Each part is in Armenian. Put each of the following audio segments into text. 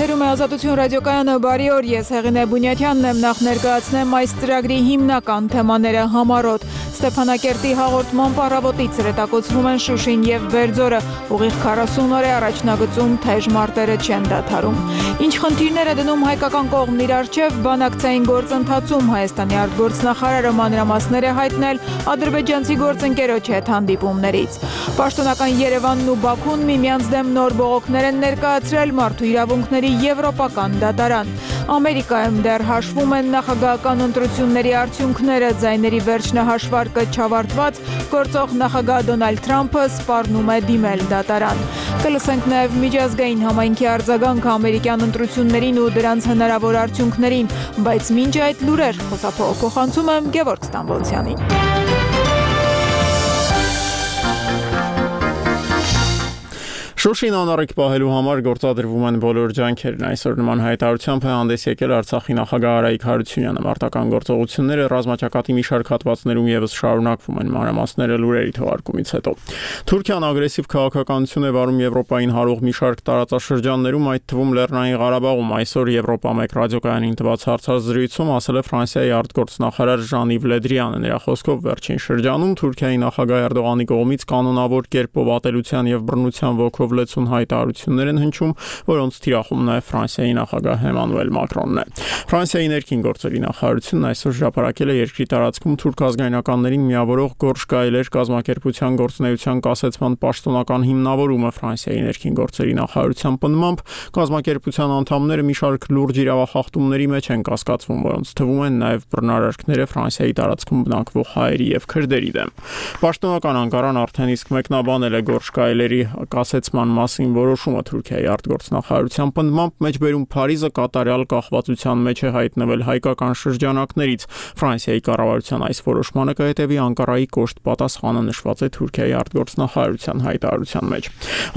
Եթերում է Ազատություն ռադիոկայանը, բարի օր, ես Հեղինե Բունյաթյանն եմ, նախ ներկայացնեմ այս ծրագրի հիմնական թեմաները համառոտ։ Ստեփանակերտի հաղորդման առավոտից հրետակոծվում են Շուշին եւ Բերձորը, ուղիղ 40 օր է առաջնագծում թեժ մարտերը չեն դադարում։ Ինչ խնդիրներ է դնում հայկական կողմն իր առջև բանակցային գործընթացում, Հայաստանի արտգործնախարարը մանրամասներ է հայտնել ադրբեջանցի գործընկերոջ հետ հանդիպումներից։ Պաշտոնական Երևանն ու Բաքուն միմյանց դեմ նոր բողոքներ են ներկայացրել մարդու իրավունքների եվրոպական դատարան։ Ամերիկայում դեռ հաշվում են նախագահական ընտրությունների արդյունքները, ձայների վերջնահաշվարկը չավարտված, գործող նախագահ Դոնալդ Թրամփը սպառնում է դիմել դատարան։ Կլսենք նաև միջազգային համայնքի արձագանքը ամերիկյան ընտրություններին ու դրանց հնարավոր արդյունքներին, բայց մինչ այդ լուրեր խոսափողջում եմ Գևորգ Ստամբոլցյանին։ Շուշին անառիկ պահելու համար գործադրվում են բոլոր ջանքերն։ Այսօր նման հայտարարությամբ է հանդես եկել Արցախի նախագահ Արայիկ Հարությունյանը։ Մարտական գործողությունները ռազմաճակատի մի շարք հատվածներում եւս շարունակվում են, մանրամասները լուրերի թողարկումից հետո։ Թուրքիան ագրեսիվ քաղաքականություն է վարում Եվրոպային հարող մի շարք տարածաշրջաններում, այդ թվում Լեռնային Ղարաբաղում։ Այսօր Եվրոպա 1 ռադիոկայանին տված հարցազրույցում ասել է Ֆրանսիայի արտգործնախարար Ժան-Իվ Լե Դրիանը։ Նրա խոսքով վերջին շրջանում Թուրքիայի նախագահ Էրդողանի կողմից կանոնավոր կերպով ատելության եւ բռնության ոգով լեցուն հայտարարություններ են հնչում, որոնց թիրախում նաև Ֆրանսիայի նախագահ Էմանուել Մակրոնն է։ Ֆրանսիայի ներքին գործերի նախարարությունն այսօր հրապարակել է երկրի տարածքում թուրք ազգայնականներին միավորող Գորշ Գայլեր կազմակերպության գործունեության կասեցման պաշտոնական հիմնավորումը։ Ֆրանսիայի ներքին գործերի նախարարության պնդմամբ կազմակերպության անդամները մի շարք լուրջ իրավախախտումների մեջ են կասկածվում, որոնց թվում են նաև բռնարարքները Ֆրանսիայի տարածքում բնակվող հայերի եւ քրդերի դեմ։ Պաշտոնական Անկարան արդեն իսկ մեկնաբանել է Գորշ Գայլերի կասեցման մասին որոշումը Թուրքիայի արտգործնախարարության պնդմամբ մեջբերում Փարիզը կատարյալ կախվածության մեջ է հայտնվել հայկական շրջանակներից։ Ֆրանսիայի կառավարության այս որոշմանը կհետևի Անկարայի կոշտ պատասխանը, նշված է Թուրքիայի արտգործնախարարության հայտարարության մեջ։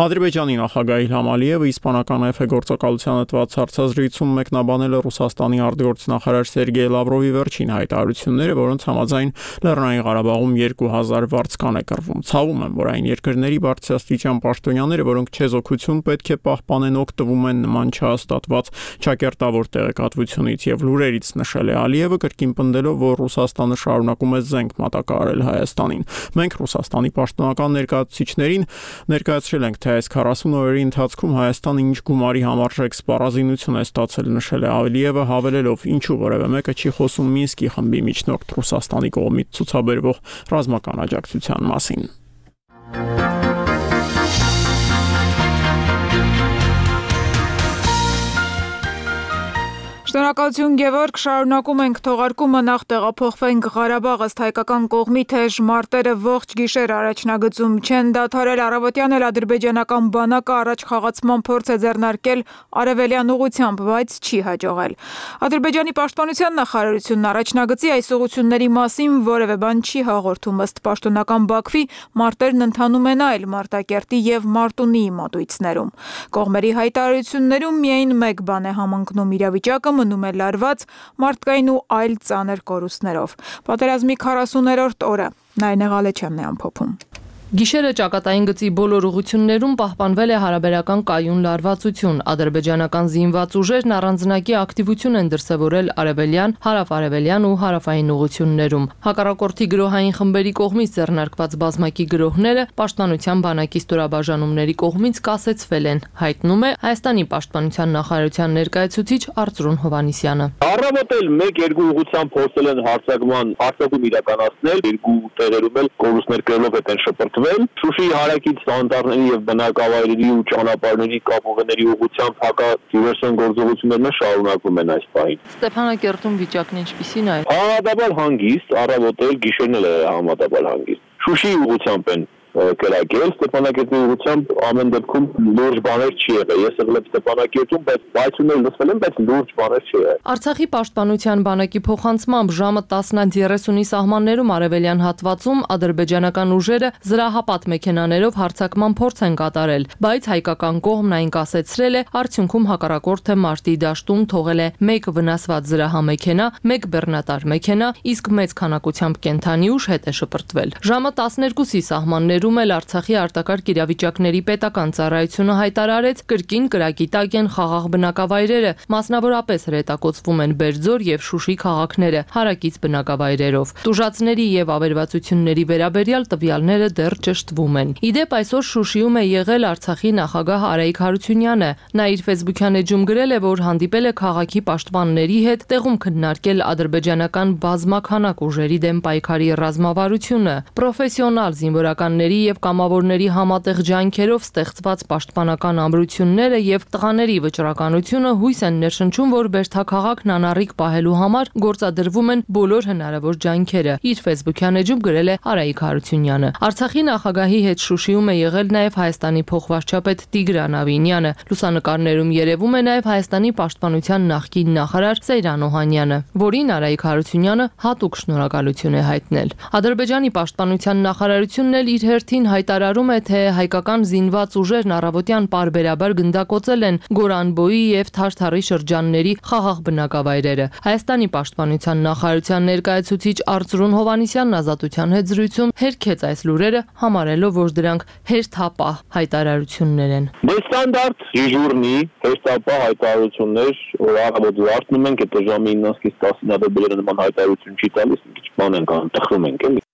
Ադրբեջանի նախագահ Իլհամ Ալիևը իսպանական էֆ գործակալությանը տված հարցազրույցում մեկնաբանել է Ռուսաստանի արտգործնախարար Սերգեյ Լավրովի վերջին հայտարարությունները, որոնց համաձայն Լեռնային Ղարաբաղում 2000 վարձկան է կռվում։ Ցավում եմ, որ այն երկրների բարձրաստիճան պաշտոնյաները, որոնք չեզոքություն պետք է պահպանեն, օգտվում են նման չհաստատված ճակերտավոր տեղեկատվությունից եւ լուրերից, նշել է Ալիևը, կրկին պնդելով, որ Ռուսաստանը շարունակում է զենք մատակարարել Հայաստանին։ Մենք Ռուսաստանի պաշտոնական ներկայացուցիչներին ներկայացրել ենք, թե այս 40 օրերի ընթացքում Հայաստանը ինչ գումարի համարժեք սպառազինություն է ստացել, նշել է Ալիևը, հավելելով, ինչու որևէ մեկը չի խոսում Մինսկի խմբի միջնորդ Ռուսաստանի կողմից ցուցաբերվող ռազմական աջակցության մասին։ Շնորհակալություն Գևորգ, շարունակում ենք թողարկումը, նախ տեղափոխվենք Ղարաբաղ, ըստ հայկական կողմի թեժ մարտերը ողջ գիշեր առաջնագծում չեն դադարել, առավոտյան էլ ադրբեջանական բանակը առաջ խաղացման փորձ է ձեռնարկել արևելյան ուղությամբ, բայց չի հաջողել։ Ադրբեջանի պաշտպանության նախարարությունն առաջնագծի այս ուղղությունների մասին որևէ բան չի հաղորդում, ըստ պաշտոնական Բաքվի մարտերն ընթանում են այլ Մարտակերտի եւ Մարտունիի մատույցներում։ Կողմերի հայտարարություններում միայն մեկ բան է համընկնում՝ իրավիճակը մնում է լարված մարդկային ու այլ ծանր կորուստներով։ Պատերազմի 40-րդ օրը Նայնե Ղալեչյանն է ամփոփում։ Գիշերը ճակատային գծի բոլոր ուղղություններում պահպանվել է հարաբերական կայուն լարվածություն։ Ադրբեջանական զինված ուժերն առանձնակի ակտիվություն են դրսևորել արևելյան, հարավ-արևելյան ու հարավային ուղղություններում։ Հակառակորդի գրոհային խմբերի կողմից ձեռնարկված բազմակի գրոհները պաշտպանության բանակի ստորաբաժանումների կողմից կասեցվել են, հայտնում է Հայաստանի պաշտպանության նախարարության ներկայացուցիչ Արծրուն Հովհաննիսյանը։ Առավոտել 1-2 ուղղությամբ փորձել են հարձակում իրականացնել, երկու տեղերում էլ կորուստներ կրելով են շփոթվել։ Շուշիի հարակից անտառների եւ բնակավայրերի ու ճանապարհների կապուղիների ուղղությամբ հակադիվերսիոն գործողություններն շարունակվում են այս պահին։ Ստեփանակերտում վիճակն ինչպիսին է։ Համատաբար հանգիստ, առավոտել գիշերն էլ համատաբար հանգիստ։ Շուշիի ուղղությամբ են կրակել, Ստեփանակերտի ուղղությամբ ամեն դեպքում լուրջ բաներ չի եղել։ Ես եղել եմ Ստեփանակերտում, բայց բայցումներ լսվել եմ, բայց լուրջ բաներ չի եղել։ Արցախի պաշտպանության բանակի փոխանցմամբ ժամը 10:30-ի սահմաններում արևելյան հատվածում ադրբեջանական ուժերը զրահապատ մեքենաներով հարձակման փորձ են կատարել, բայց հայկական կողմն այն կասեցրել է, արդյունքում հակառակորդը մարտի դաշտում թողել է 1 վնասված զրահամեքենա, 1 բեռնատար մեքենա, իսկ մեծ քանակությամբ կենդանի ուժ հետ է շպրտվել։ Ժամը 12-ի սահմաններում հարցերում էլ Արցախի արտակարգ իրավիճակների պետական ծառայությունը հայտարարեց, կրկին կրակի տակ են խաղաղ բնակավայրերը, մասնավորապես հրետակոծվում են Բերձոր եւ Շուշի քաղաքները հարակից բնակավայրերով։ Տուժածների եւ ավերվածությունների վերաբերյալ տվյալները դեռ ճշտվում են։ Իդեպ այսօր Շուշիում է եղել Արցախի նախագահ Արայիկ Հարությունյանը։ Նա իր Facebook-յան էջում գրել է, որ հանդիպել է քաղաքի պաշտպանների հետ, տեղում քննարկել ադրբեջանական բազմաքանակ ուժերի դեմ պայքարի ռազմավարությունը, պրոֆեսիոնալ զինվորականների եւ կամավորների համատեղ ջանքերով ստեղծված պաշտպանական ամրությունները եւ տղաների վճռականությունը հույս են ներշնչում, որ Բերդաքաղաքն անառիկ պահելու համար գործադրվում են բոլոր հնարավոր ջանքերը։ Իր Facebook-յան էջում գրել է Արայիկ Հարությունյանը։ Արցախի նախագահի հետ Շուշիում է եղել նաեւ Հայաստանի փոխվարչապետ Տիգրան Ավինյանը։ Լուսանկարներում երևում է նաեւ Հայաստանի պաշտպանության նախկին նախարար Սեյրան Օհանյանը, որին Արայիկ Հարությունյանը հատուկ շնորհակալություն է հայտնել։ Ադրբեջանի պաշտպանության նախարարությունն էլ իր հերթին հայտարարում է, թե հայկական զինված ուժերն առավոտյան պարբերաբար գնդակոծել են Գորանբոյի եւ Թարթարի շրջանների խաղաղ բնակավայրերը։ Հայաստանի պաշտպանության նախարարության ներկայացուցիչ Արծրուն Հովանիսյանն Ազատության հետ զրույցում հերքեց այս լուրերը, համարելով, որ դրանք հերթապահ հայտարարություններ են։ Ստանդարտ դիժուրնի հերթապահ հայտարարություններ, որ առավոտ զարթնում ենք, այդ ժամը 9-ից 10-ին ադրբեջանը նման հայտարարություն չի տալիս, մի քիչ բան ենք անում, տխրում ենք էլի։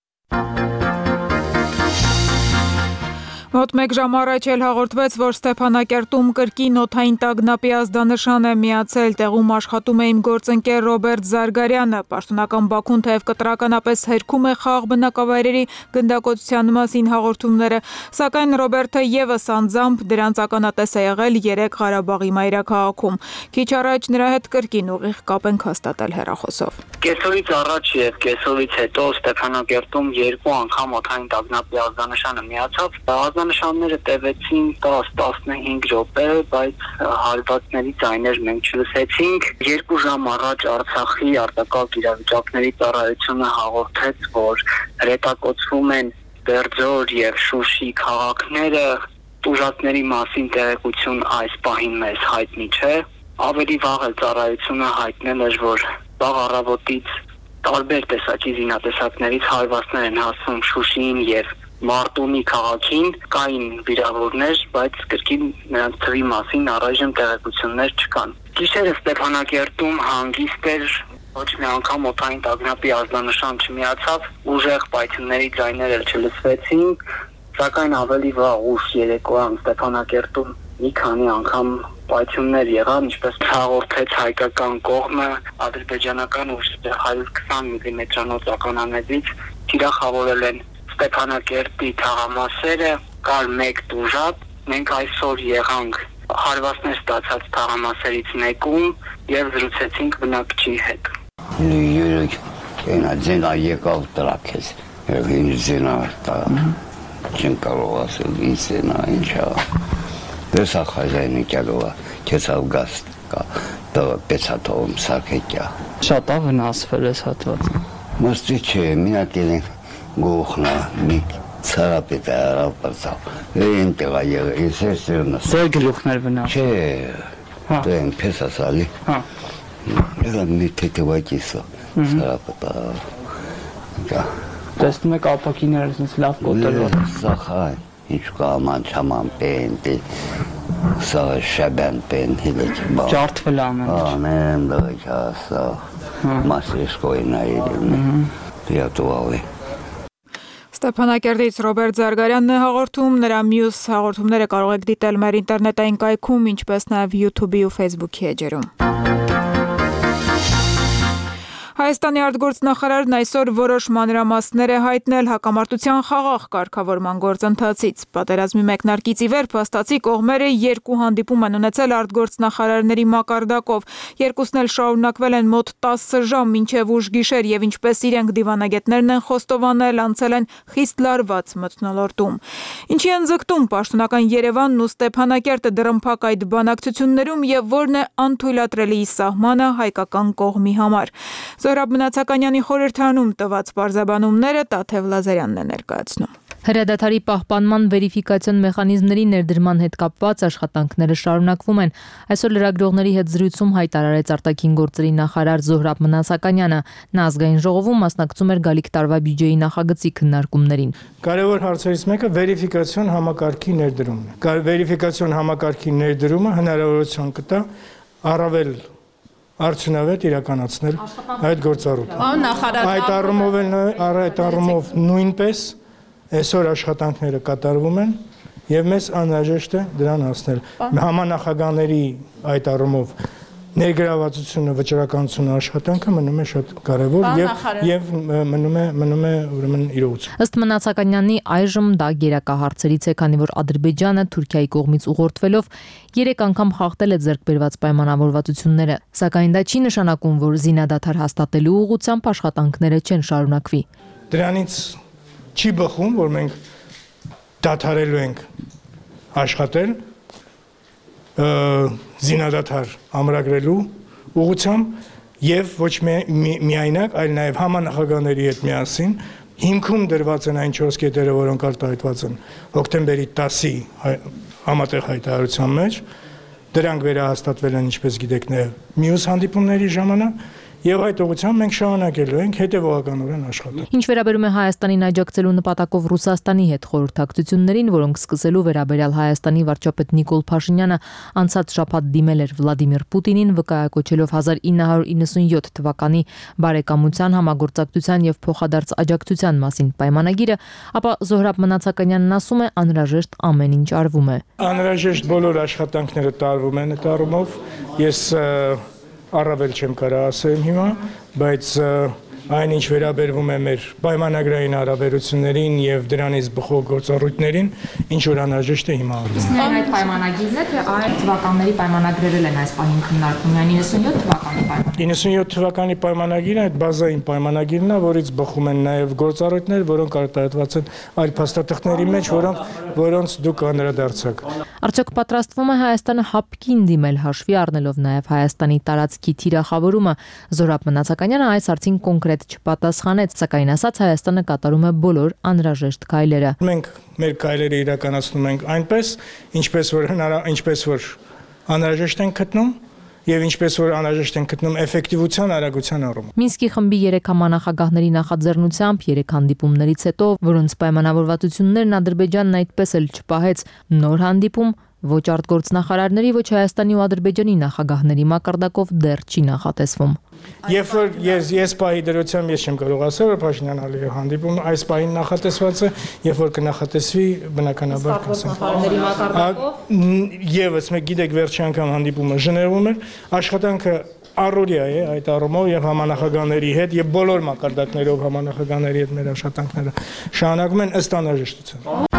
Մոտ 1 ժամ առաջ էլ հաղորդվեց, որ Ստեփանակերտում կրկին օդային տագնապի ազդանշան է միացել, տեղում աշխատում է իմ գործընկեր Ռոբերտ Զարգարյանը, պաշտոնական Բաքուն թեև կտրականապես հերքում է խաղաղ բնակավայրերի գնդակոծության մասին հաղորդումները, սակայն Ռոբերտը եւս անձամբ դրանց ականատես է եղել 3 Ղարաբաղի մայրաքաղաքում։ Քիչ առաջ նրա հետ կրկին ուղիղ կապ ենք հաստատել հեռախոսով։ Կեսօրից առաջ եւ կեսօրից հետո Ստեփանակերտում 2 անգամ օդային տագնապի ազդանշանը միացավ։ Ազդանշանները տևեցին 10-15 րոպե, բայց հարվածների ձայներ մենք չլսեցինք։ 2 ժամ առաջ Արցախի արտակարգ իրավիճակների ծառայությունը հաղորդեց, որ հրետակոծվում են Բերձոր եւ Շուշի քաղաքները։ Տուժածների մասին տեղեկություն այս պահին մեզ հայտնի չէ։ Ավելի վաղ էլ ծառայությունը հայտնել էր, որ վաղ առավոտից տարբեր տեսակի զինատեսակներից հարվածներ են հասնում Շուշիին եւ Մարտունի քաղաքին, կային վիրավորներ, բայց կրկին նրանց թվի մասին առայժմ տեղեկություններ չկան։ Գիշերը Ստեփանակերտում հանգիստ էր, ոչ մի անգամ օդային տագնապի ազդանշան չմիացավ, ուժեղ պայթյունների ձայներ էլ չլսվեցին, սակայն ավելի վաղ ուշ երեկոյան Ստեփանակերտում մի քանի անգամ պայթյուններ եղան, ինչպես հաղորդեց հայկական կողմը, ադրբեջանական ուժերը 120 մմ-անոց ականանետից թիրախավորել են Ստեփանակերտի թաղամասերը, կար 1 տուժած, մենք այսօր եղանք հարվածներ ստացած թաղամասերից մեկում եւ զրուցեցինք բնակչի հետ։ Երեք այնա եկավ տրակեց, ինձնա տա, չեմ կարող ասել ինձնա ինչա, դեսա խազայնի կյալովա, կեցավ գազ կա, տղը պեցատովում սարկեկյա։ Շատ ավնասվել ես հատված։ Մստի չէ, մինակ են գողնա, մի ծարապետ է արավ պրծավ, են տեղա եղը, ես էր սերնա։ Ձեր գլուխներ վնաս։ Չէ, դե են պես ասալի, եղա մի թետևակիսը, ծարապետ արավ։ Տեսնում եք ապակիներս ինձ լավ կոտելով։ Սախայն, ինչ կաման չաման պեն, սաղը շաբյան պեն, հիլեկ բան։ Ճարդվել ամեն ինչ։ Ամեն դղիք ասավ, մասրիշկոյն այրին, դիատուալ է։ Ստեփանակերտից Ռոբերտ Զարգարյանն է հաղորդում, նրա մյուս հաղորդումները կարող եք դիտել մեր ինտերնետային կայքում, ինչպես նաև YouTube-ի ու Facebook-ի էջերում։ Հայաստանի արտգործնախարարն այսօր որոշ մանրամասներ է հայտնել հակամարտության խաղաղ կարգավորման գործընթացից։ Պատերազմի մեկնարկից ի վեր փաստացի կողմերը 2 հանդիպում են ունեցել արտգործնախարարների մակարդակով։ Երկուսն էլ շարունակվել են մոտ 10 ժամ մինչև ուշ գիշեր եւ ինչպես իրենք դիվանագետներն են խոստովանել, անցել են խիստ լարված մթնոլորտում։ Ինչի են ձգտում պաշտոնական Երևանն ու Ստեփանակերտը դռնփակ այդ բանակցություններում եւ որն է անթույլատրելի սահմանը հայկական կողմի համար։ Զորաբ Մնացականյանի խորհրդանում տված պարզաբանումները Տաթև Լազարյանն է ներկայացնում։ Հրադադարի պահպանման վերիֆիկացիոն մեխանիզմների ներդրման հետ կապված աշխատանքները շարունակվում են։ Այսօր լրագրողների հետ զրույցում հայտարարեց արտաքին գործերի նախարար Զոհրաբ Մնացականյանը։ Նա ազգային ժողովում մասնակցում էր գալիք տարվա բյուջեի նախագծի քննարկումներին։ Կարևոր հարցերից մեկը վերիֆիկացիոն համակարգի ներդրումն է։ Վերիֆիկացիոն համակարգի ներդրումը հնարավորություն կտա առավել արդյունավետ իրականացնել այդ գործառույթը։ Այդ առումով նույնպես այսօր աշխատանքները կատարվում են եւ մեզ անհրաժեշտ է դրան հասնել։ Համանախագահների այդ առումով ներգրավվածությունը, վճռականությունը, աշխատանքը մնում է շատ կարևոր եւ մնում է ուրեմն իրողություն։ Ըստ Մնացականյանի այժմ դա գերակահարցերից է, քանի որ Ադրբեջանը Թուրքիայի կողմից ուղղորդվելով 3 անգամ խախտել է ձեռք բերված պայմանավորվածությունները, սակայն դա չի նշանակում, որ զինադադար հաստատելու ուղղությամբ աշխատանքները չեն շարունակվի։ Դրանից չի բխում, որ մենք դադարելու ենք աշխատել զինադադար ամրագրելու ուղղությամբ եւ ոչ միայնակ, այլ նաեւ համանախագահների հետ միասին հիմքում դրված են այն 4 կետերը, որոնք արտահայտված են հոկտեմբերի 10-ի համատեղ հայտարարության մեջ, դրանք վերահաստատվել են, ինչպես գիտեք, մյուս հանդիպումների ժամանակ Եվ այդ ուղղությամբ մենք շարունակելու ենք հետևողականորեն աշխատել։ Ինչ վերաբերում է Հայաստանին աջակցելու նպատակով Ռուսաստանի հետ խորհրդակցություններին, որոնք սկսելու վերաբերյալ Հայաստանի վարչապետ Նիկոլ Փաշինյանը անցած շաբաթ դիմել էր Վլադիմիր Պուտինին, վկայակոչելով 1997 թվականի բարեկամության, համագործակցության եւ փոխադարձ աջակցության մասին պայմանագիրը, ապա Զոհրաբ Մնացականյանն ասում է, անհրաժեշտ ամեն ինչ արվում է։ Անհրաժեշտ բոլոր աշխատանքները տարվում են այդ առումով։ Ես առավել չեմ կարող ասել հիմա, բայց այն ինչ վերաբերվում է մեր պայմանագրային հարաբերություններին եւ դրանից բխող գործառույթներին, ինչ որ անհրաժեշտ է հիմա արվում։ Իսկ այդ պայմանագիրն է, թե այլ թվականների պայմանագրերել են այս պահին քննարկվում, 97 թվականի պայմանագիրը։ 97 թվականի պայմանագիրը այդ բազային պայմանագիրն է, որից բխում են նաեւ գործառույթներ, որոնք արտահայտված են այլ փաստաթղթերի մեջ, որոնց դուք անդրադարձաք։ Արդյոք պատրաստվում է Հայաստանը հապկին դիմել, հաշվի առնելով նաև Հայաստանի տարածքի թիրախավորումը։ Զոհրաբ Մնացականյանը այս հարցին կոնկրետ չպատասխանեց, սակայն ասաց Հայաստանը կատարում է բոլոր անհրաժեշտ քայլերը։ Մենք մեր քայլերը իրականացնում ենք այնպես, ինչպես որ անհրաժեշտ են գտնում եւ ինչպես որ անհրաժեշտ են գտնում էֆեկտիվության արագության առումով։ Մինսկի խմբի 3 համանախագահների նախաձեռնությամբ 3 հանդիպումներից հետո, որոնց պայմանավորվածություններն Ադրբեջանն այդպես էլ չպահեց, նոր հանդիպում ոչ արտգործնախարարների, ոչ Հայաստանի ու Ադրբեջանի նախագահների մակարդակով դեռ չի նախատեսվում։ Երբ որ ես պահի դրությամբ ես չեմ կարող ասել, որ Փաշինյան-Ալիև հանդիպումը այս պահին նախատեսված է, երբ որ կնախատեսվի, բնականաբար կասենք։ Եվս մեկ գիտեք, վերջի անգամ հանդիպումը Ժնևում էր, աշխատանքը առօրյա է այդ առումով եւ համանախագահների հետ եւ բոլոր մակարդակներով համանախագահների հետ մեր աշխատանքները շարունակվում են ըստ անհրաժեշտության։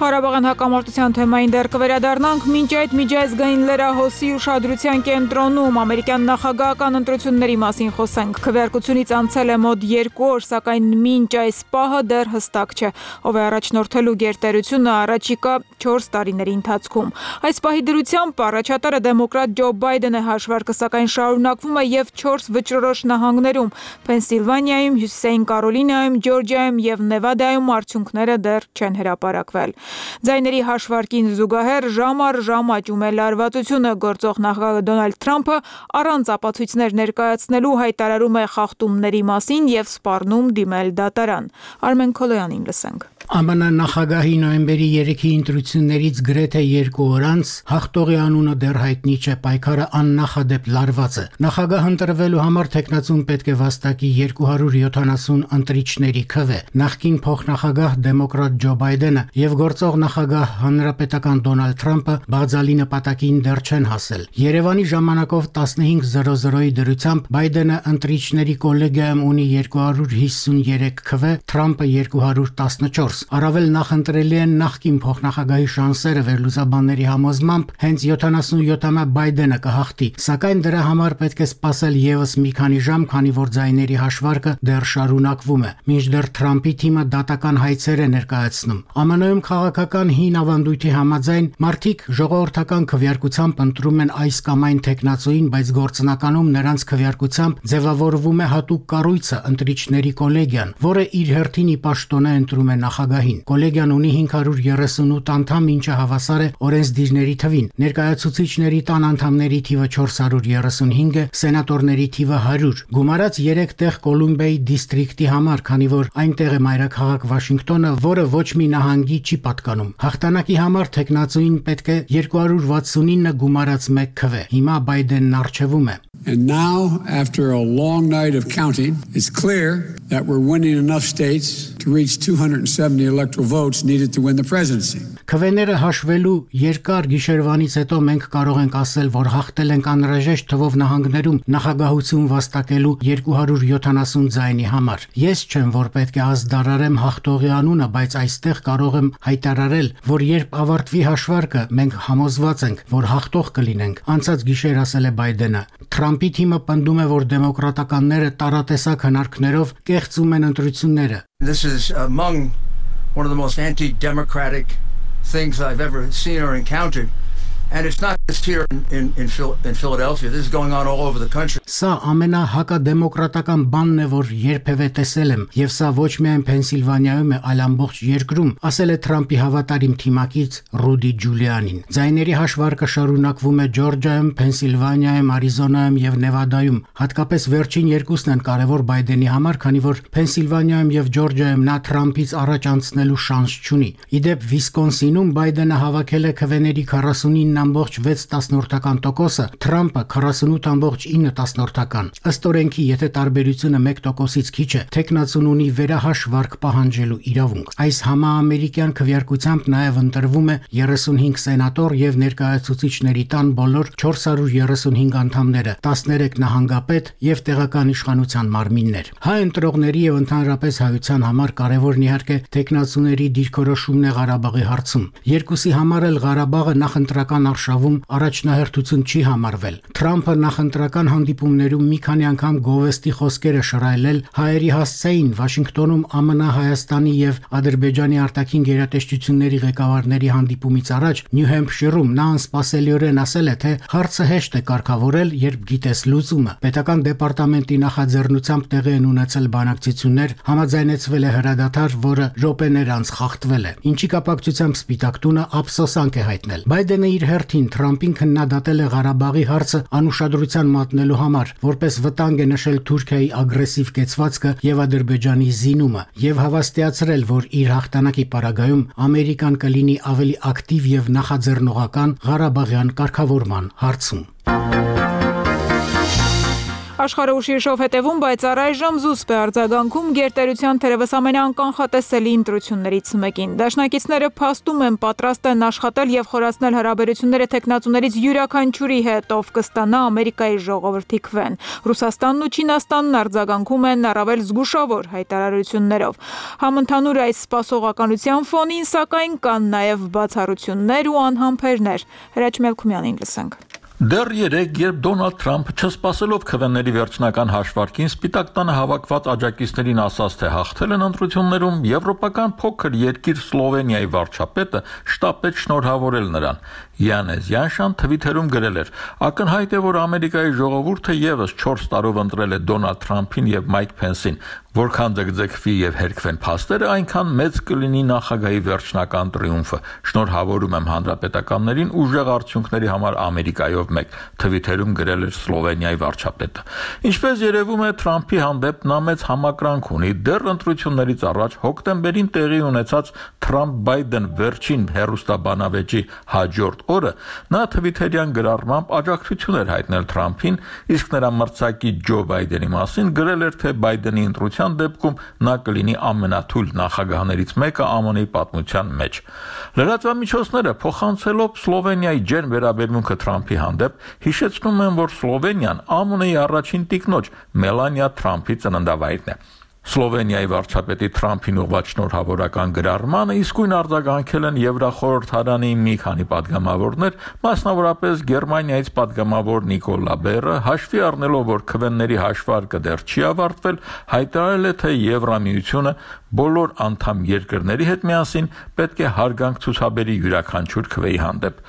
Ղարաբաղյան հակամարտության թեմային դեռ կվերադառնանք, մինչ այդ միջազգային լրահոսի ուշադրության կենտրոնում ամերիկյան նախագահական ընտրությունների մասին խոսենք։ Քվեարկությունից անցել է մոտ 2 օր, սակայն մինչ այս պահը դեռ հստակ չէ, ով է առաջնորդելու գերտերությունը առաջիկա 4 տարիների ընթացքում։ Այս պահի դրությամբ առաջատարը դեմոկրատ Ջո Բայդեն է, հաշվարկը սակայն շարունակվում է եւ 4 վճռորոշ նահանգներում՝ Փենսիլվանիայում, Հյուսիսային Կարոլինայում, Ջորջիայում եւ Նևադայում արդյունքները դեռ չեն հրապարակվել։ Ձայների հաշվարկին զուգահեռ ժամ առ ժամ աճում է լարվածությունը, գործող նախագահ Դոնալդ Թրամփը առանց ապացույցներ ներկայացնելու հայտարարում է խախտումների մասին եւ սպառնում դիմել դատարան։ Արմեն Քոլոյանին լսենք։ ԱՄՆ նախագահի նոյեմբերի 3-ի ընտրություններից գրեթե 2 օր անց հաղթողի անունը դեռ հայտնի չէ, պայքարը աննախադեպ լարված է։ Նախագահ ընտրվելու համար տեխնացուն պետք է վաստակի 270 ընտրիչների քվե։ Նախկին փոխնախագահ դեմոկրատ Ջո Բայդենը եւ գործող նախագահ հանրապետական Դոնալդ Թրամփը բաղձալի նպատակին դեռ չեն հասել։ Երևանի ժամանակով 15:00-ի դրությամբ Բայդենը ընտրիչների կոլեգիայում ունի 253 քվե, Թրամփը 214։ դուրս։ Առավել նախընտրելի են նախկին փոխնախագահի շանսերը վերլուծաբանների համոզմամբ հենց 77-ամյա Բայդենը կհաղթի, սակայն դրա համար պետք է սպասել եւս մի քանի ժամ, քանի որ ձայների հաշվարկը դեռ շարունակվում է։ Մինչդեռ Թրամփի թիմը դատական հայցեր է ներկայացնում։ ԱՄՆ-ում քաղաքական հին ավանդույթի համաձայն մարդիկ ժողովրդական քվեարկությամբ ընտրում են այս կամ այն թեկնածուին, բայց գործնականում նրանց քվեարկությամբ ձևավորվում է հատուկ կառույցը ընտրիչների կոլեգիան, որը իր հերթին ի պաշտոնե ընտրում է նախագահին։ Կոլեգիան ունի 538 անդամ, ինչը հավասար է օրենսդիրների թվին։ Ներկայացուցիչների տան անդամների թիվը 435 է, սենատորների թիվը 100։ Գումարած 3 տեղ Կոլումբիայի դիստրիկտի համար, քանի որ այնտեղ է մայրաքաղաք Վաշինգտոնը, որը ոչ մի նահանգի չի պատկանում։ Հաղթանակի համար թեկնածուին պետք է 269 գումարած 1 քվե։ Հիմա Բայդենն առջևում է։ And now, after a long night of counting, it's clear that we're winning enough states to reach 270 electoral votes needed to win the presidency. Քվեները հաշվելու երկար գիշերվանից հետո մենք կարող ենք ասել, որ հաղթել ենք անհրաժեշտ թվով նահանգներում նախագահություն վաստակելու 270 ձայնի համար։ Ես չեմ, որ պետք է ազդարարեմ հաղթողի անունը, բայց այստեղ կարող եմ հայտարարել, որ երբ ավարտվի հաշվարկը, մենք համոզված ենք, որ հաղթող կլինենք։ Անցած գիշեր ասել է Բայդենը։ Թրամփի թիմը պնդում է, որ դեմոկրատականները տարատեսակ հնարքներով կեղծում են ընտրությունները։ This is among one of the most anti-democratic things I've ever seen or encountered. And it's not just here in Philadelphia. This is going on all over the country. Սա ամենահակադեմոկրատական բանն է, որ երբևէ տեսել եմ, եւ սա ոչ միայն Փենսիլվանիայում է, այլ ամբողջ երկրում, ասել է Թրամփի հավատարիմ թիմակից Ռուդի Ջուլիանին։ Ձայների հաշվարկը շարունակվում է Ջորջիայում, Փենսիլվանիայում, Արիզոնայում եւ Նևադայում։ Հատկապես վերջին երկուսն են կարևոր Բայդենի համար, քանի որ Փենսիլվանիայում եւ Ջորջիայում նա Թրամփից առաջ անցնելու շանս չունի։ Իդեպ Վիսկոնսինում Բայդենը հավաքել է քվեների 49.6%, Թրամփը 48.9%։ Ըստ օրենքի, եթե տարբերությունը 1%-ից քիչ է, թեկնածուն ունի վերահաշվարկ պահանջելու իրավունք։ Այս համաամերիկյան քվեարկությամբ նաև ընտրվում է 35 սենատոր եւ ներկայացուցիչների տան բոլոր 435 անդամները, 13 նահանգապետ եւ տեղական իշխանության մարմիններ։ Հայ ընտրողների եւ ընդհանրապես հայության համար կարևորն իհարկե թեկնածուների դիրքորոշումն է Ղարաբաղի հարցում։ Երկուսի համար էլ Ղարաբաղը նախընտրական արշավում առաջնահերթություն չի համարվել։ Թրամփը նախընտրական հանդիպումներում մի քանի անգամ գովեստի խոսքեր է շռայլել հայերի հասցեին Վաշինգտոնում ԱՄՆ, Հայաստանի եւ Ադրբեջանի արտաքին գերատեսչությունների ղեկավարների հանդիպումից առաջ Նյու Հեմփշիրում նա անսպասելիորեն ասել է, թե հարցը հեշտ է կարգավորել, երբ գիտես լուծումը։ Պետական դեպարտամենտի նախաձեռնությամբ տեղի են ունեցել բանակցություններ, համաձայնեցվել է հրադադար, որը րոպեներ անց խախտվել է։ Ինչի կապակցությամբ Սպիտակ տունը ափսոսանք է հայտնել։ Բայդենը իր հերթին Թրամփին քննադատել է Ղարաբաղի հարցը անուշադրության մատնելու համար, որպես վտանգ է նշել Թուրքիայի ագրեսիվ կեցվածքը եւ Ադրբեջանի զինումը եւ հավաստիացրել, որ իր հաղթանակի պարագայում Ամերիկան կլինի ավելի ակտիվ եւ նախաձեռնողական Ղարաբաղյան կարգավորման հարցում։ Աշխարհը ուշիժով հետևում, բայց առայժմ զուսպ է արձագանքում գերտերության թերևս ամենաանկանխատեսելի ընտրություններից մեկին։ Դաշնակիցները փաստում են պատրաստ են աշխատել եւ խորացնել հարաբերությունները թեկնածուներից յուրաքանչյուրի հետ, ով կստանա Ամերիկայի ժողովրդի քվեն։ Ռուսաստանն ու Չինաստանն արձագանքում են առավել զգուշավոր հայտարարություններով։ Համընդհանուր այս սպասողականության ֆոնին, սակայն, կան նաեւ բացառություններ ու անհամբերներ։ Հրաչ Մելքումյանին լսենք։ Դեռ երեկ, երբ Դոնալդ Թրամփը չսպասելով քվեների վերջնական հաշվարկին Սպիտակ տանը հավաքված աջակիցներին ասաց, թե հաղթել են ընտրություններում, եվրոպական փոքր երկիր Սլովենիայի վարչապետը շտապեց շնորհավորել նրան։ Յանես Յանշան Թվիթերում գրել էր. «Ակնհայտ է, որ Ամերիկայի ժողովուրդը եւս 4 տարով ընտրել է Դոնալդ Թրամփին եւ Մայք Փենսին։ Որքան ձգձգվի եւ հերքվեն փաստերը, այնքան մեծ կլինի նախագահի վերջնական տրիումֆը։ Շնորհավորում եմ հանրապետականներին ուժեղ արդյունքների համար Ամերիկայով մեկ», Թվիթերում գրել էր Սլովենիայի վարչապետը։ Ինչպես երևում է, Թրամփի հանդեպ նա մեծ համակրանք ունի։ Դեռ ընտրություններից առաջ հոկտեմբերին տեղի ունեցած Թրամփ-Բայդեն վերջին հերոստաբանավեճի հաջորդ օրը նա Թվիթերյան գրառմամբ աջակցություն էր հայտնել Թրամփին, իսկ նրա մրցակից Ջո Բայդենի մասին գրել էր, թե Բայդենի ընտրության դեպքում նա կլինի ամենաթույլ նախագահներից մեկը ԱՄՆ-ի պատմության մեջ։ Լրատվամիջոցները փոխանցելով Սլովենիայի ջերմ վերաբերմունքը Թրամփի հանդեպ հիշեցնում են, որ Սլովենիան ԱՄՆ-ի առաջին տիկնոջ Մելանիա Թրամփի ծննդավայրն է։ Սլովենիայի վարչապետի Թրամփին ուղղված շնորհավորական գրառմանը իսկույն արձագանքել են Եվրախորհրդարանի մի քանի падգամավորներ, մասնավորապես Գերմանիայից падգամավոր Նիկոլա Բերը, հաշվի առնելով, որ քվեների հաշվարկը դեռ չի ավարտվել, հայտարարել է, թե Եվրամիությունը բոլոր անդամ երկրների հետ միասին պետք է հարգանք ցուցաբերի յուրաքանչյուր քվեի հանդեպ։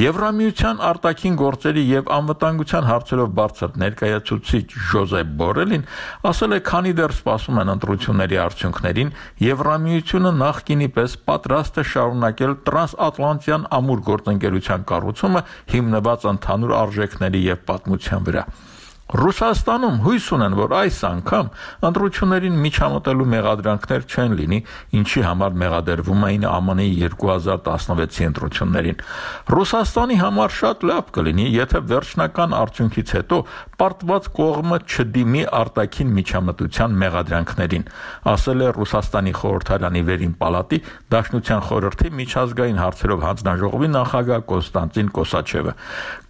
Եվրամիության արտաքին գործերի եւ անվտանգության հարցերով բարձր ներկայացուցիչ Ժոզեփ Բորելին ասել է, քանի դեռ սպասում են ընտրությունների արդյունքներին, Եվրամիությունը նախկինի պես պատրաստ է շարունակել տրանսատլանտյան ամուր գործընկերության կառուցումը հիմնված ընդհանուր արժեքների եւ պատմության վրա։ Ռուսաստանում հույս ունեն, որ այս անգամ ընտրություններին միջամտելու մեղադրանքներ չեն լինի, ինչի համար մեղադրվում էին ԱՄՆ-ի 2016-ի ընտրություններին։ Ռուսաստանի համար շատ լավ կլինի, եթե վերջնական արդյունքից հետո պարտված կողմը չդիմի արտաքին միջամտության մեղադրանքներին, ասել է Ռուսաստանի խորհրդարանի վերին պալատի Դաշնության խորհրդի միջազգային հարցերով հանձնաժողովի նախագահ Կոնստանտին Կոսաչևը։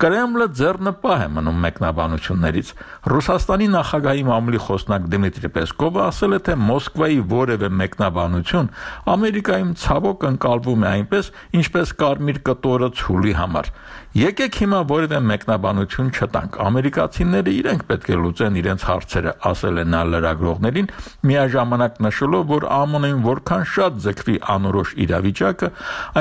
Կրեմլը ձեռնպահ է մնում մեկնաբանություններից։ Ռուսաստանի նախագահի մամուլի խոսնակ Դմիտրի Պեսկովը ասել է, թե Մոսկվայի որևէ մեկնաբանություն Ամերիկայում ցավոք ընկալվում է այնպես, ինչպես կարմիր կտորը ցուլի համար։ Եկեք հիմա որևէ մեկնաբանություն չտանք։ Ամերիկացիները իրենք պետք է լուծեն իրենց հարցերը, ասել է նա լրագրողներին, միաժամանակ նշելով, որ ԱՄՆ-ին որքան շատ ձգվի անորոշ իրավիճակը,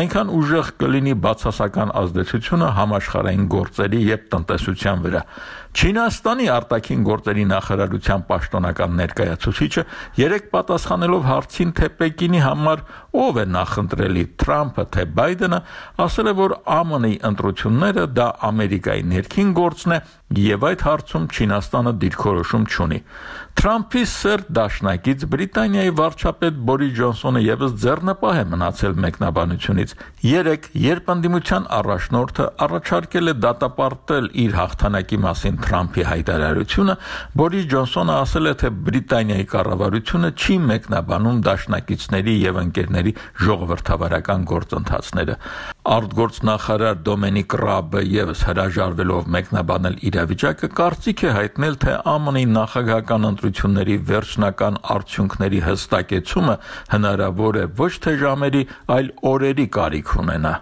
այնքան ուժեղ կլինի բացասական ազդեցությունը համաշխարհային գործերի եւ տնտեսության վրա։ Չինաստանի արտաքին գործերի նախարարության պաշտոնական ներկայացուցիչը երեք պատասխանելով հարցին, թե Պեկինի համար ով է նախընտրելի, Թրամփը թե Բայդենը, ասել է, որ ԱՄՆ-ի ընտրությունները դա Ամերիկայի ներքին գործն է եւ այդ հարցում Չինաստանը դիրքորոշում չունի։ Թրամփի սերտ դաշնակից Բրիտանիայի վարչապետ Բորիս Ջոնսոնը եւս ձեռնպահ է մնացել մեկնաբանությունից։ Երեք, երբ ընդդիմության առաջնորդը առաջարկել է դատապարտել իր հաղթանակի մասին Թրամփի հայտարարությունը, Բորիս Ջոնսոնը ասել է, թե Բրիտանիայի կառավարությունը չի մեկնաբանում դաշնակիցների եւ ընկերների ժողովրդավարական գործընթացները։ Արտգործնախարար Դոմինիկ Ռաբը եւս հրաժարվելով մեկնաբանել իրավիճակը, կարծիք է հայտնել, թե ԱՄՆ-ի նախագահական ընտրությունների վերջնական արդյունքների հստակեցումը հնարավոր է ոչ թե ժամերի, այլ օրերի կարիք ունենա։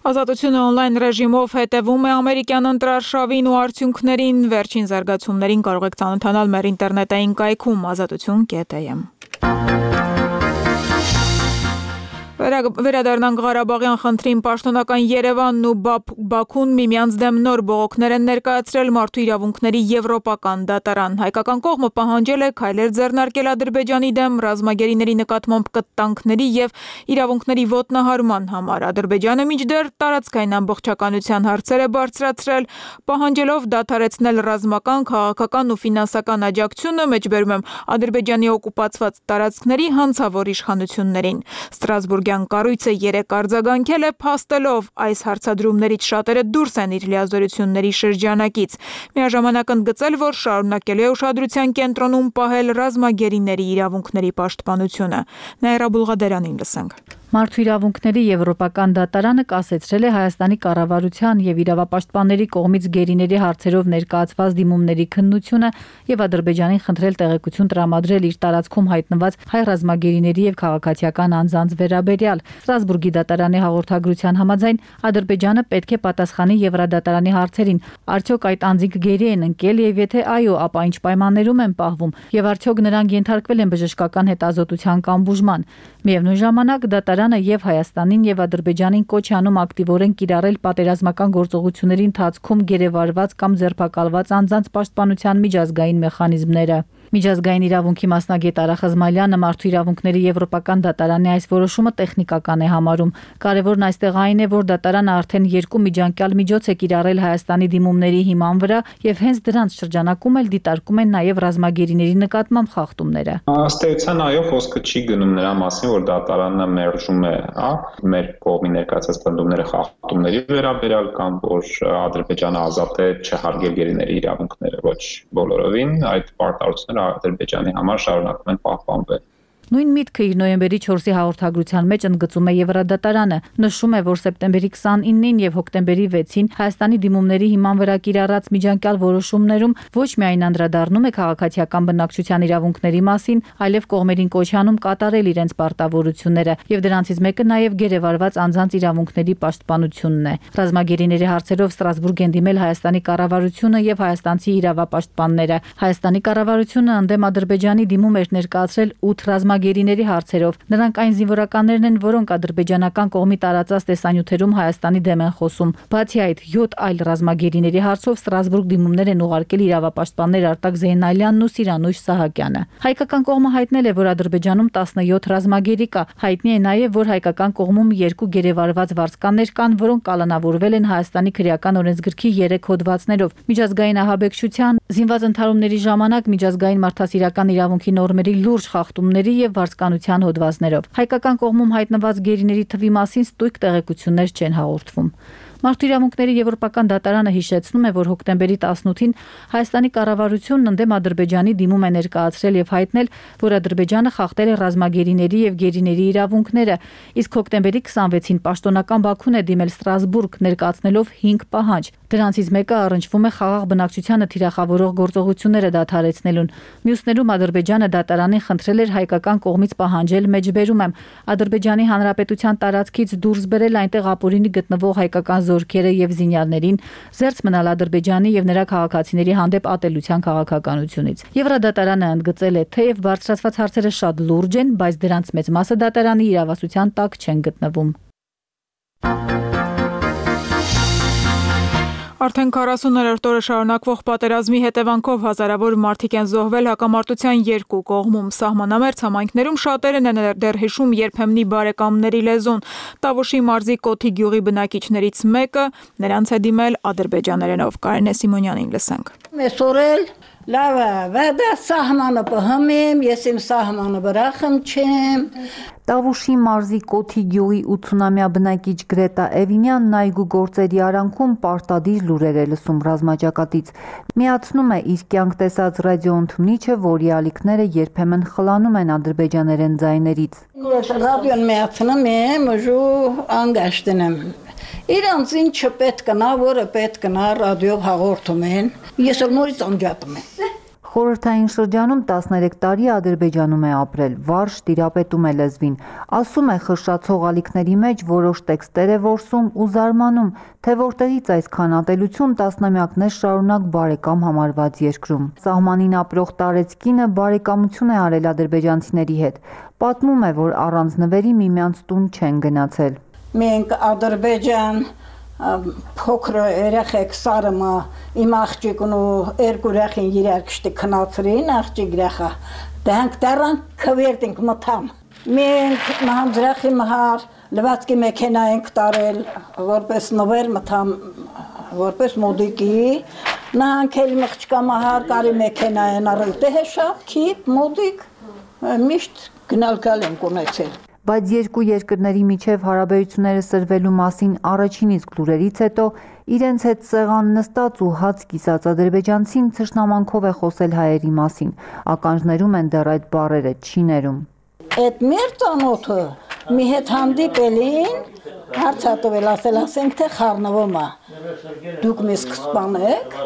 Ազատությունը on-line ռեժիմով հետևում է ամերիկյան ընտրարշավին ու արդյունքներին, վերջին զարգացումներին կարող եք ծանոթանալ մեր ինտերնետային կայքում azatutun.am։ Վերադառնանք Ղարաբաղյան խնդրին, պաշտոնական Երևանն ու Բաքուն միմյանց դեմ նոր բողոքներ են ներկայացրել Մարդու իրավունքների եվրոպական դատարան։ Հայկական կողմը պահանջել է քայլեր ձեռնարկել Ադրբեջանի դեմ ռազմագերիների նկատմամբ կտանքների եւ իրավունքների ոտնահարման համար։ Ադրբեջանը մինչդեռ տարածքային ամբողջականության հարցեր է բարձրացրել, պահանջելով դադարեցնել ռազմական, քաղաքական ու ֆինանսական աջակցությունը, մեջբերում եմ Ադրբեջանի օկուպացված տարածքների հանցավոր իշխանություններին։ Ստրասբուրգ կառույցը երեք արձագանքել է, փաստելով այս հարցադրումներից շատերը դուրս են իր լիազորությունների շրջանակից։ Միաժամանակ ընդգծել, որ շարունակելու է ուշադրության կենտրոնում պահել ռազմագերիների իրավունքների պաշտպանությունը։ Նաիրա Բուլղադերանին լսենք։ Մարդու իրավունքների եվրոպական դատարանը կասեցրել է Հայաստանի կառավարության եւ իրավապաշտպանների կողմից գերիների հարցերով ներկայացված դիմումների քննությունը եւ Ադրբեջանին խնդրել տեղեկություն տրամադրել իր տարածքում հայտնված հայ ռազմագերիների եւ քաղաքացիական անձանց վերաբերյալ։ Ստրասբուրգի դատարանի հաղորդագրության համաձայն Ադրբեջանը պետք է պատասխանի Եվրադատարանի հարցերին։ Արդյոք այդ անձինք գերի են ընկել եւ եթե այո, ապա ինչ պայմաններում են պահվում եւ արդյոք նրանք ենթարկվել են բժշկական հետազոտության կամ բուժման։ Միևնույն ժամանակ դատարանը եւ Հայաստանին եւ Ադրբեջանին կոչ է անում ակտիվորեն կիրառել պատերազմական գործողությունների ընթացքում գերեվարված կամ ձերբակալված անձանց պաշտպանության միջազգային մեխանիզմները։ Միջազգային իրավունքի մասնագետ Արա Խզմալյանը Մարդու իրավունքների եվրոպական դատարանի այս որոշումը տեխնիկական է համարում։ Կարևորն այստեղ այն է, որ դատարանը արդեն երկու միջանկյալ միջոց է կիրառել Հայաստանի դիմումների հիման վրա եւ հենց դրանց շրջանակում էլ դիտարկում են նաեւ ռազմագերիների նկատմամբ խախտումները։ Ըստ էության այո, խոսքը չի գնում նրա մասին, որ դատարանը մերժում է, մեր կողմի ներկայացած պնդումները խախտումների վերաբերյալ կամ որ Ադրբեջանը ազատ է չհարգել գերիների իրավունքները, ոչ բոլորովին, այդ պարտավորությունները Ադրբեջանի համար շարունակում են պահպանվել։ Նույն միտքը իր նոյեմբերի 4-ի հաղորդագրության մեջ ընդգծում է Եվրադատարանը, նշում է, որ սեպտեմբերի 29-ին եւ հոկտեմբերի 6-ին Հայաստանի դիմումների հիման վրա կիրառած միջանկյալ որոշումներում ոչ միայն անդրադառնում է քաղաքացիական բնակչության իրավունքների մասին, այլև կողմերին կոչ անում կատարել իրենց պարտավորությունները, եւ դրանցից մեկը նաեւ գերեվարված անձանց իրավունքների պաշտպանությունն է։ Ռազմագերիների հարցերով Ստրասբուրգ են դիմել Հայաստանի կառավարությունը եւ հայաստանցի իրավապաշտպանները։ Հայաստանի կառավարությունը ընդդեմ Ադրբեջանի դիմում էր ներկայացրել 8 ռազմագերիների հարցերով։ Նրանք այն զինվորականներն են, որոնք ադրբեջանական կողմի տարածած տեսանյութերում Հայաստանի դեմ են խոսում։ Բացի այդ, 7 այլ ռազմագերիների հարցով Ստրասբուրգ դիմումներ են ուղարկել իրավապաշտպաններ Արտակ Զեյնալյանն ու Սիրանուշ Սահակյանը։ Հայկական կողմը հայտնել է, որ Ադրբեջանում 17 ռազմագերի կա։ Հայտնի է նաև, որ հայկական կողմում 2 գերեվարված վարձկաններ կան, որոնք կալանավորվել են Հայաստանի քրեական օրենսգրքի 3 հոդվածներով։ Միջազգային ահաբեկչության, զինված ընդհարումների ժամանակ միջազգային մարդասիրական իրավունքի նորմերի լուրջ խախտումների եւ վարձկանության հոդվածներով։ Հայկական կողմում հայտնված գերիների թվի մասին ստույգ տեղեկություններ չեն հաղորդվում։ Մարդու իրավունքների եվրոպական դատարանը հիշեցնում է, որ հոկտեմբերի 18-ին Հայաստանի կառավարությունն ընդդեմ Ադրբեջանի դիմում է ներկայացրել եւ հայտնել, որ Ադրբեջանը խախտել է ռազմագերիների եւ գերիների իրավունքները, իսկ հոկտեմբերի 26-ին պաշտոնական Բաքուն է դիմել Ստրասբուրգ ներկայացնելով 5 պահանջ։ Դրանցից մեկը առնչվում է խաղաղ բնակչությանը թիրախավորող գործողությունները դադարեցնելուն։ Մյուսներում Ադրբեջանը դատարանին խնդրել էր հայկական կողմից պահանջել մեջբերում եմ Ադրբեջանի Հանրապետության տարածքից դուրս բերել այնտեղ ապօրինի գտնվող հայկական զորքերը եւ զինյալներին, զերծ մնալ Ադրբեջանի եւ նրա քաղաքացիների հանդեպ ատելության քաղաքականությունից։ Եվրադատարանը ընդգծել է, թեև բարձրացված հարցերը շատ լուրջ են, բայց դրանց մեծ մասը դատարանի իրավասության տակ չեն գտնվում։ Արդեն 40-րդ օրը շարունակվող պատերազմի հետևանքով հազարավոր մարդիկ են զոհվել հակամարտության երկու կողմում։ Սահմանամերձ համայնքներում շատերն են դեռ հիշում երբեմնի բարեկամների լեզուն։ Տավուշի մարզի Կոթի գյուղի բնակիչներից մեկը նրանց է դիմել ադրբեջաներենով։ Կարինե Սիմոնյանին լսենք։ Մեսորել լավա, վադա սահմանը պահմեմ, ես իմ սահմանը բրախım չեմ։ Տավուշի մարզի Կոթի գյուղի 80-ամյա բնակիչ Գրետա Էվինյանն այգու գործերի արանքում պարտադիր լուրեր է լսում ռազմաճակատից։ Միացնում է իր կյանք տեսած ռադիոընդունիչը, որի ալիքները երբեմն խլանում են ադրբեջաներեն ձայներից։ Ես ռադիոն միացնում եմ, ու անգաշտն եմ։ Իրանց ինչը պետք կնա, որը պետք կնա ռադիոյով հաղորդում են։ Ես նորից անջատում եմ։ Խորհրդային շրջանում 13 տարի Ադրբեջանում է ապրել, վարժ տիրապետում է լեզվին, ասում է խշշացող ալիքների մեջ որոշ տեքստեր է որսում ու զարմանում, թե որտեղից այսքան ատելություն տասնամյակներ շարունակ բարեկամ համարված երկրում։ Սահմանին ապրող տարեցկինը բարեկամություն է արել ադրբեջանցիների հետ, պատմում է, որ առանց նվերի միմյանց տուն չեն գնացել։ Մենք Ադրբեջան փոքր երեխեք սարմը իմ աղջիկն ու երկու երեխին իրար կշտի քնացրին աղջիկ երեխա դրանք դեռան քվերտինք մտամ մենք մահանձրախի մահար լվացքի մեքենա ենք տարել որպես նվեր մտամ որպես մոդիկի նահանքել մղճկա մահար կարի մեքենա են առել դե հեշավ քիպ մոդիկ միշտ գնալկալ ենք ունեցել Բայց երկու երկրների միջև հարաբերությունները սրվելու մասին առաջին իսկ լուրերից հետո իրենց հետ սեղան նստած ու հաց կիսած ադրբեջանցին թշնամանքով է խոսել հայերի մասին։ Ականջներում են դեռ այդ բառերը չիներում։ Այդ մեր տանոթը մի հետ հանդիպելին հարցատվել ասենք թե խառնվում է։ Դուք մեզ կսպանեք,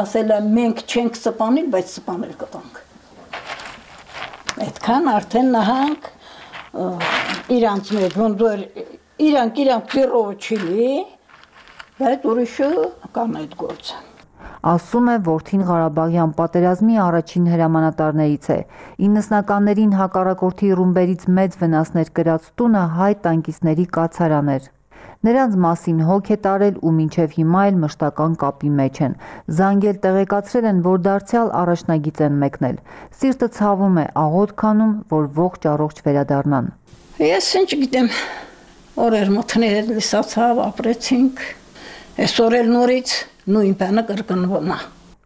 ասել է մենք չենք սպանել, բայց սպանել կտանք։ Այդքան արդեն նահանք իրանց մեջ ոնց իրանք ծիրով չլի, բայց ուրիշը կան այդ գործը։ Ասում է որդին Ղարաբաղյան պատերազմի առաջին հրամանատարներից է։ 90-ականներին հակառակորդի ռումբերից մեծ վնասներ կրած տունը հայ տանկիստների կացարան էր։ Նրանց մասին հոգ է տարել ու մինչև հիմա էլ մշտական կապի մեջ են։ Զանգել տեղեկացրել են, որ դարձյալ առաջնագիծ են մեկնել։ Սիրտը ցավում է, աղոտ քանում, որ ողջ առողջ վերադառնան։ Ես ինչ գիտեմ, օրեր մթներ լսացավ, ապրեցինք։ Այսօր էլ նորից նույն բանը կրկնվում է։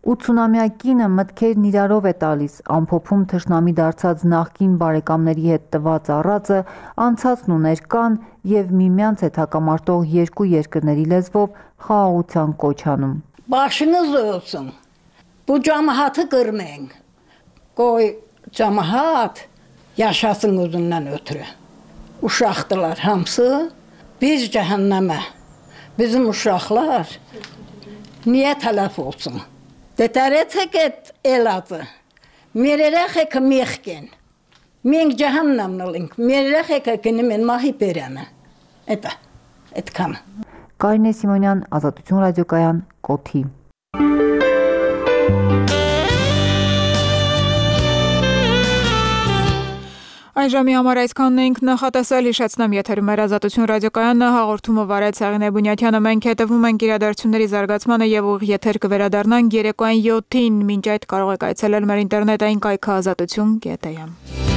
80-ամյա կինը մտքերն իրարով է տալիս, ամփոփում թշնամի դարձած նախկին բարեկամների հետ տված առածը, անցածն ու ներկան եւ միմյանց հետ հակամարտող երկու երկրների լեզվով խաղաղության կոչ անում։ Բաշինը զոհում։ Բու ջամահատը կրմեն։ Կոյ ջամահատ yaşasın uzundan ötürü. Uşaqdılar hamısı, biz cəhənnəmə. Bizim uşaqlar niyə tələf olsun? Detərəcək eladı. Merərək mexken. Мен ջահաննամնալինք մերրախ եկակնի մեն մահի պերանը էտ կամ Կարինե Սիմոնյան, Ազատություն ռադիոկայան, Կոթի Այս ժամի համար այսքանն ենք նախատեսել հիշեցնեմ եթերում էր Ազատություն ռադիոկայանն հաղորդումը վարեց Սաղինե Բունյաթյանը մենք հետևում ենք իրադարձությունների զարգացմանը եւ ուղիղ եթեր կվերադառնանք երեկոյան 7-ին մինչ այդ կարող եք այցելել մեր ինտերնետային կայքը azatutun.am